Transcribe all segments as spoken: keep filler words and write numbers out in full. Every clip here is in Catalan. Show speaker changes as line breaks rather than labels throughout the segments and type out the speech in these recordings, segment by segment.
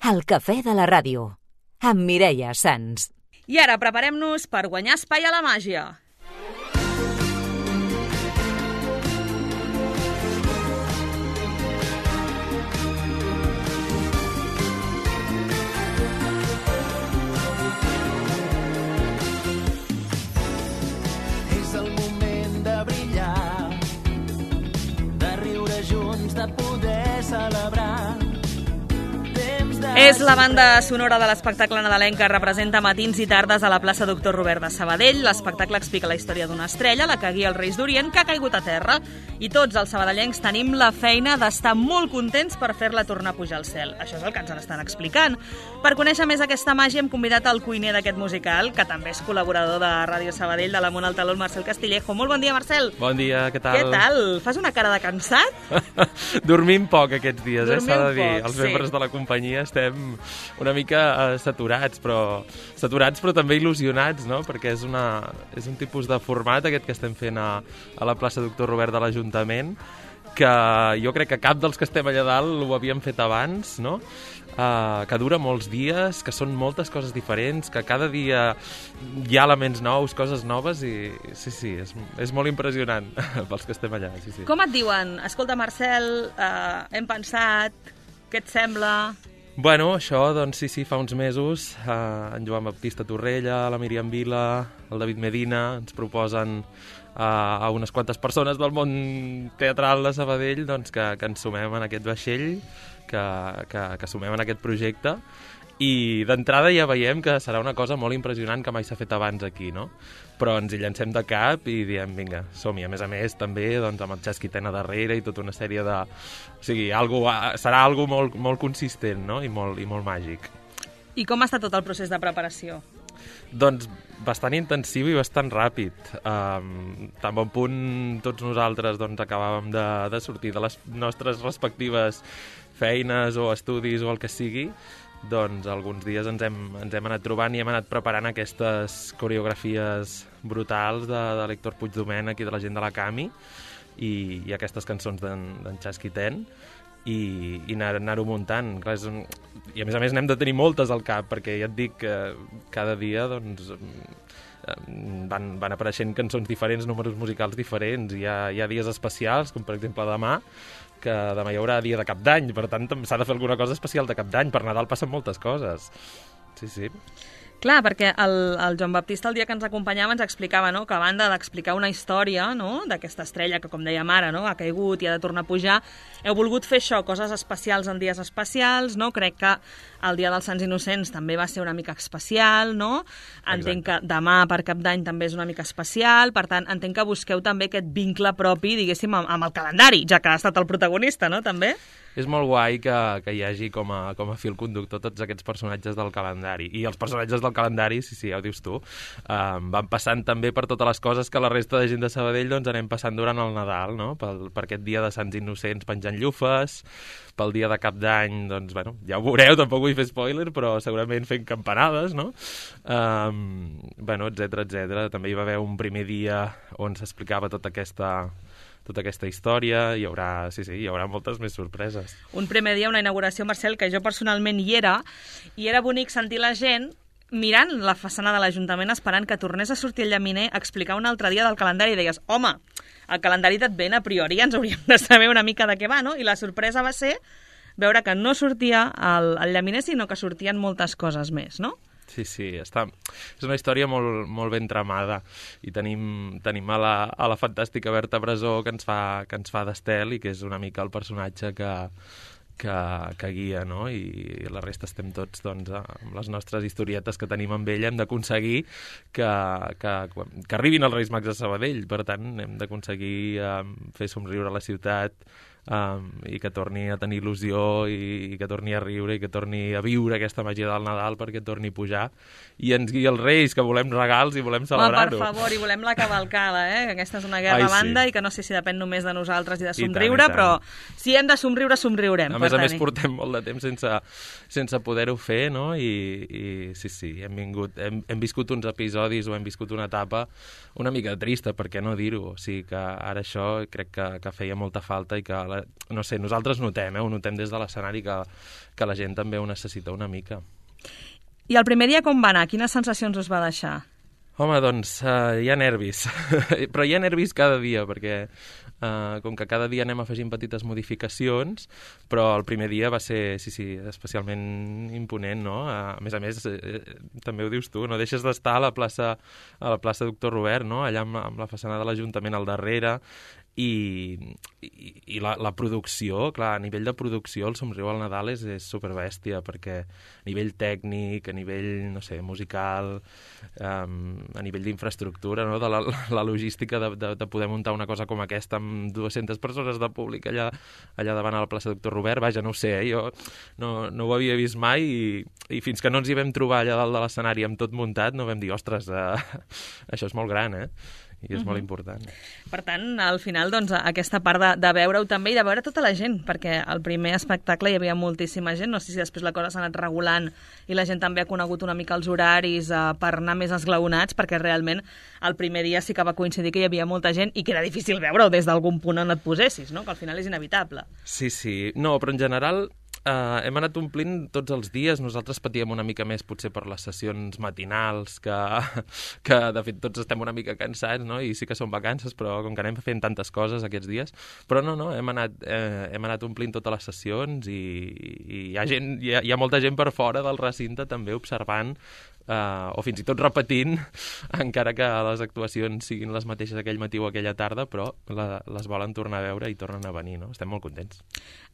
El cafè de la ràdio, amb Mireia Sans.
I ara preparem-nos per guanyar espai a la màgia.
És el moment de brillar, de riure junts, de poder celebrar.
És la banda sonora de l'espectacle nadalenc que representa matins i tardes a la plaça Doctor Robert de Sabadell. L'espectacle explica la història d'una estrella, la que guia els Reis d'Orient, que ha caigut a terra. I tots els sabadellencs tenim la feina d'estar molt contents per fer-la tornar a pujar al cel. Això és el que ens estan explicant. Per conèixer més aquesta màgia hem convidat el cuiner d'aquest musical, que també és col·laborador de Ràdio Sabadell, de l'Amunt al Taló, el Marcel Castillejo. Molt bon dia, Marcel.
Bon dia, què tal?
Què tal? Fas una cara de cansat?
Dormim poc aquests dies, eh, s'ha de dir.
Poc,
els membres
sí.
de la companyia estem una mica uh, saturats, però saturats però també il·lusionats, no? Perquè és, una, és un tipus de format aquest que estem fent a, a la plaça Doctor Robert de l'Ajuntament, que jo crec que cap dels que estem allà dalt ho havíem fet abans, no? Uh, que dura molts dies, que són moltes coses diferents, que cada dia hi ha elements nous, coses noves, i sí, sí, és, és molt impressionant pels que estem allà. Sí, sí.
Com et diuen? Escolta, Marcel, uh, hem pensat, què et sembla?
Bueno, això, doncs sí, sí, fa uns mesos, eh, en Joan Baptista Torrella, la Míriam Vila, el David Medina, ens proposen eh, a unes quantes persones del món teatral de Sabadell doncs, que, que ens sumem en aquest vaixell, que, que, que sumem en aquest projecte, i d'entrada ja veiem que serà una cosa molt impressionant que mai s'ha fet abans aquí, no? Però ens hi llancem de cap i diem, vinga, som-hi. A més a més, també doncs, amb el Xasquitén a darrere i tota una sèrie de... O sigui, algo, serà algo molt, molt consistent, no? I molt, i molt màgic.
I com ha estat tot el procés de preparació?
Doncs bastant intensiu i bastant ràpid. Um, tan bon punt tots nosaltres doncs, acabàvem de, de sortir de les nostres respectives feines o estudis o el que sigui, doncs alguns dies ens hem, ens hem anat trobant i hem anat preparant aquestes coreografies brutals de, de l'Héctor Puigdomènech i de la gent de la Cami i, i aquestes cançons d'en Xasquitén i, i anar-ho anar muntant. Clar, és un... I a més a més n'hem de tenir moltes al cap, perquè ja et dic que cada dia doncs, van, van apareixent cançons diferents, números musicals diferents. Hi ha, hi ha dies especials, com per exemple demà, que demà hi haurà dia de Cap d'Any, per tant s'ha de fer alguna cosa especial de Cap d'Any. Per Nadal passen moltes coses. Sí, sí.
Clar, perquè el, el Joan Baptista el dia que ens acompanyava ens explicava, no?, que a banda d'explicar una història, no?, d'aquesta estrella que, com dèiem ara, no?, ha caigut i ha de tornar a pujar, heu volgut fer això, coses especials en dies especials, no? Crec que el dia dels Sants Innocents també va ser una mica especial, no? Entenc que demà per Cap d'Any també és una mica especial, per tant, entenc que busqueu també aquest vincle propi, diguéssim, amb, amb el calendari, ja que ha estat el protagonista, no?, també?
És molt guai que, que hi hagi com a, com a fil conductor tots aquests personatges del calendari. I els personatges del calendari, sí, sí, ja ho dius tu, um, van passant també per totes les coses que la resta de gent de Sabadell doncs, anem passant durant el Nadal, no? Pel, per aquest dia de Sants Innocents penjant llufes, pel dia de Cap d'Any, doncs, bueno, ja ho veureu, tampoc vull fer spoiler, però segurament fent campanades, no? Um, bueno, etcètera, etcètera. També hi va haver un primer dia on s'explicava tota aquesta... tota aquesta història, hi haurà, sí, sí, hi haurà moltes més sorpreses.
Un primer dia, una inauguració, Marcel, que jo personalment hi era, i era bonic sentir la gent mirant la façana de l'Ajuntament esperant que tornés a sortir el llaminer a explicar un altre dia del calendari, i deies, home, el calendari d'Advent a priori ens hauríem de saber una mica de què va, no? I la sorpresa va ser veure que no sortia el, el llaminer, sinó que sortien moltes coses més, no?
Sí, sí, està... és una història molt, molt ben tramada i tenim, tenim a, la, a la fantàstica Berta Brasó que ens fa, que ens fa d'Estel i que és una mica el personatge que, que, que guia, no? I la resta estem tots doncs, amb les nostres historietes que tenim amb ella. Hem d'aconseguir que, que, que arribin els Reis Mags a Sabadell, per tant hem d'aconseguir eh, fer somriure la ciutat, Um, i que torni a tenir il·lusió i, i que torni a riure i que torni a viure aquesta màgia del Nadal perquè torni a pujar i ens guia els Reis, que volem regals i volem celebrar-ho.
Per favor, i volem la cavalcada, eh? Que aquesta és una guerra
Ai,
a banda
sí.
I que no sé si depèn només de nosaltres i de
I
somriure,
tant, i tant.
però si hem de somriure, somriurem.
A més a més portem molt de temps sense, sense poder-ho fer, no? I, i sí, sí, hem, vingut, hem, hem viscut uns episodis o hem viscut una etapa una mica trista, per què no dir-ho? O sigui que ara això crec que, que feia molta falta i que la la, no sé, nosaltres notem, eh? Ho notem des de l'escenari que, que la gent també ho necessita una mica.
I el primer dia com va anar? Quines sensacions us va deixar?
Home, doncs uh, hi ha nervis, però hi ha nervis cada dia, perquè uh, com que cada dia anem afegint petites modificacions, però el primer dia va ser, sí, sí, especialment imponent, no? Uh, a més a més, eh, també ho dius tu, no deixes d'estar a la plaça, a la plaça Doctor Robert, no? Allà amb, amb la façana de l'Ajuntament al darrere, i, i, i la, la producció, clar, a nivell de producció el Somriu al Nadal és, és superbèstia, perquè a nivell tècnic, a nivell, no sé, musical, um, a nivell d'infraestructura, no? De la, la logística de, de, de poder muntar una cosa com aquesta amb dues-centes persones de públic allà, allà davant a la plaça Doctor Robert, vaja, no ho sé, eh? Jo no, no ho havia vist mai i, i fins que no ens hi vam trobar allà dalt de l'escenari amb tot muntat no vam dir, ostres, uh, això és molt gran, eh? I és uh-huh. molt important.
Per tant, al final, doncs, aquesta part de, de veure-ho també i de veure tota la gent, perquè al primer espectacle hi havia moltíssima gent, no sé si després la cosa s'ha anat regulant i la gent també ha conegut una mica els horaris eh, per anar més esglaonats, perquè realment el primer dia sí que va coincidir que hi havia molta gent i que era difícil veure-ho des d'algun punt on et posessis, no? Que al final és inevitable.
Sí, sí. No, però en general Uh, hem anat omplint tots els dies. Nosaltres patíem una mica més potser per les sessions matinals, que, que de fet tots estem una mica cansats, no? I sí que són vacances, però com que anem fent tantes coses aquests dies, però no, no, hem anat, eh, hem anat omplint totes les sessions i, i hi, ha gent, hi, ha, hi ha molta gent per fora del recinte també observant Uh, o fins i tot repetint, encara que les actuacions siguin les mateixes aquell matí o aquella tarda, però la, les volen tornar a veure i tornen a venir, no? Estem molt contents.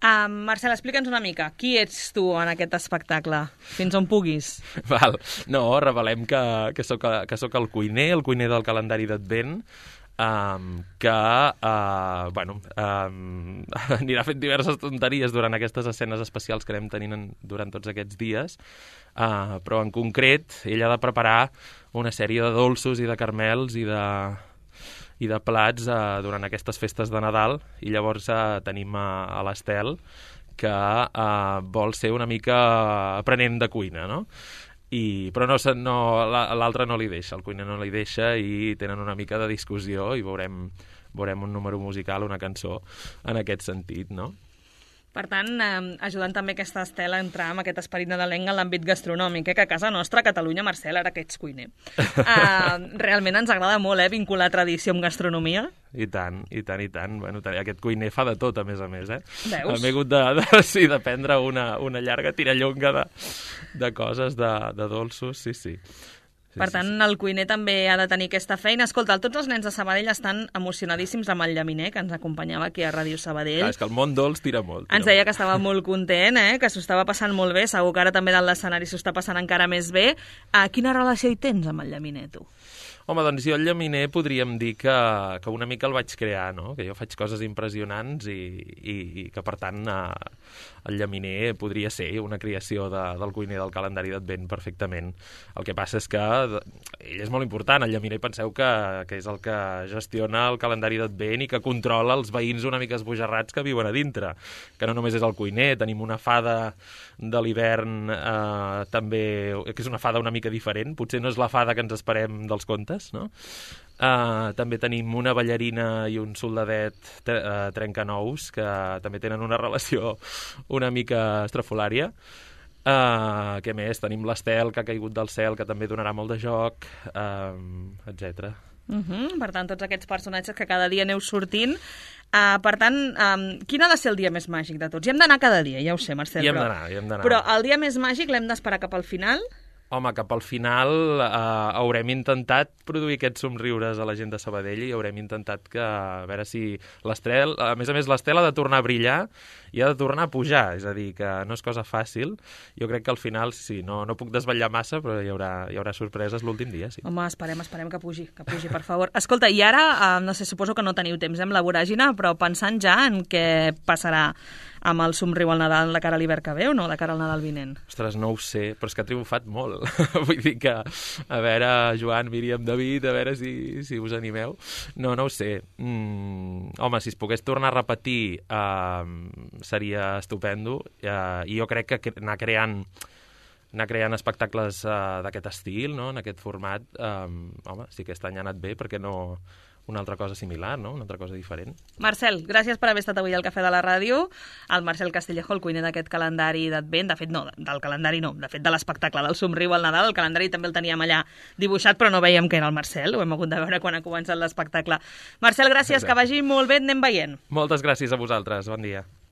Uh, Marcel, explica'ns una mica. Qui ets tu en aquest espectacle? Fins on puguis.
Val. No, revelem que, que, soc, que soc el cuiner, el cuiner del calendari d'Advent, Um, que uh, bueno, um, anirà fent diverses tonteries durant aquestes escenes especials que anem tenint en, durant tots aquests dies, uh, però en concret ell ha de preparar una sèrie de dolços i de carmels i de, i de plats uh, durant aquestes festes de Nadal, i llavors uh, tenim uh, a l'Estel que uh, vol ser una mica aprenent de cuina, no? I, però no, no, l'altre no li deixa, el cuiner no li deixa i tenen una mica de discussió i veurem, veurem un número musical, una cançó en aquest sentit, no?
Per tant, eh, ajudant també aquesta Estela a entrar amb aquest esperit nadalenc en l'àmbit gastronòmic, eh, que a casa nostra, a Catalunya, Marcel, ara que ets cuiner. Uh, realment ens agrada molt eh, vincular tradició amb gastronomia.
I tant, i tant, i tant. Bueno, aquest cuiner fa de tot, a més a més, eh?
Veus?
Hem hagut de, de, sí, de prendre una, una llarga tirallonga de, de coses, de, de dolços, sí, sí. Sí,
per
sí,
tant,
sí.
El cuiner també ha de tenir aquesta feina. Escolta, tots els nens de Sabadell estan emocionadíssims amb el llaminer, que ens acompanyava aquí a Ràdio Sabadell.
Clar, és que el món dolç tira molt. Tira
ens deia
molt.
que estava molt content, eh? Que s'ho estava passant molt bé. Segur que ara també dalt l'escenari s'ho està passant encara més bé. Uh, quina relació hi tens amb el llaminer, tu?
Home, doncs jo el llaminer podríem dir que, que una mica el vaig crear, no? Que jo faig coses impressionants i, i, i que, per tant, eh, el llaminer podria ser una creació de, del cuiner del calendari d'Advent perfectament. El que passa és que ell és molt important, el llaminer penseu que, que és el que gestiona el calendari d'Advent i que controla els veïns una mica esbojarrats que viuen a dintre, que no només és el cuiner, tenim una fada de l'hivern eh, també, que és una fada una mica diferent, potser no és la fada que ens esperem dels contes, no? Uh, també tenim una ballarina i un soldadet tre uh, trencanous que també tenen una relació una mica estrafolària. Uh, què més? Tenim l'Estel, que ha caigut del cel, que també donarà molt de joc, uh, etcètera.
Uh -huh. Per tant, tots aquests personatges que cada dia aneu sortint. Uh, per tant, um, quin ha de ser el dia més màgic de tots? Hi hem d'anar cada dia, ja ho sé, Marcel.
Hi hem
però...
d'anar, hi hem d'anar.
Però el dia més màgic l'hem d'esperar cap al final?
Home, cap al final eh, haurem intentat produir aquests somriures a la gent de Sabadell i haurem intentat que, a veure si l'Estel, a més a més l'Estel ha de tornar a brillar i ha de tornar a pujar, és a dir, que no és cosa fàcil. Jo crec que al final, sí, no, no puc desvetllar massa, però hi haurà, hi haurà sorpreses l'últim dia, sí.
Home, esperem, esperem que pugi, que pugi, per favor. Escolta, i ara, eh, no sé, suposo que no teniu temps amb la voràgina, però pensant ja en què passarà amb el somriu al Nadal de cara a l'hivern que ve o no, de cara al Nadal vinent?
Ostres, no ho sé, però és que ha triomfat molt. Vull dir que, a veure, Joan, Míriam, David, a veure si, si us animeu. No, no ho sé. Mm, home, si es pogués tornar a repetir eh, seria estupendo. Eh, I jo crec que anar creant anar creant espectacles uh, d'aquest estil, no? En aquest format, um, home, si aquest any ha anat bé, perquè no, una altra cosa similar, no? Una altra cosa diferent.
Marcel, gràcies per haver estat avui al Cafè de la Ràdio. El Marcel Castillejo, el cuiner d'aquest calendari d'Advent, de fet no, del calendari no, de fet de l'espectacle del Somriu al Nadal, el calendari també el teníem allà dibuixat, però no veiem que era el Marcel, ho hem hagut de veure quan ha començat l'espectacle. Marcel, gràcies, Exacte. Que vagi molt bé, anem veient.
Moltes gràcies a vosaltres, bon dia.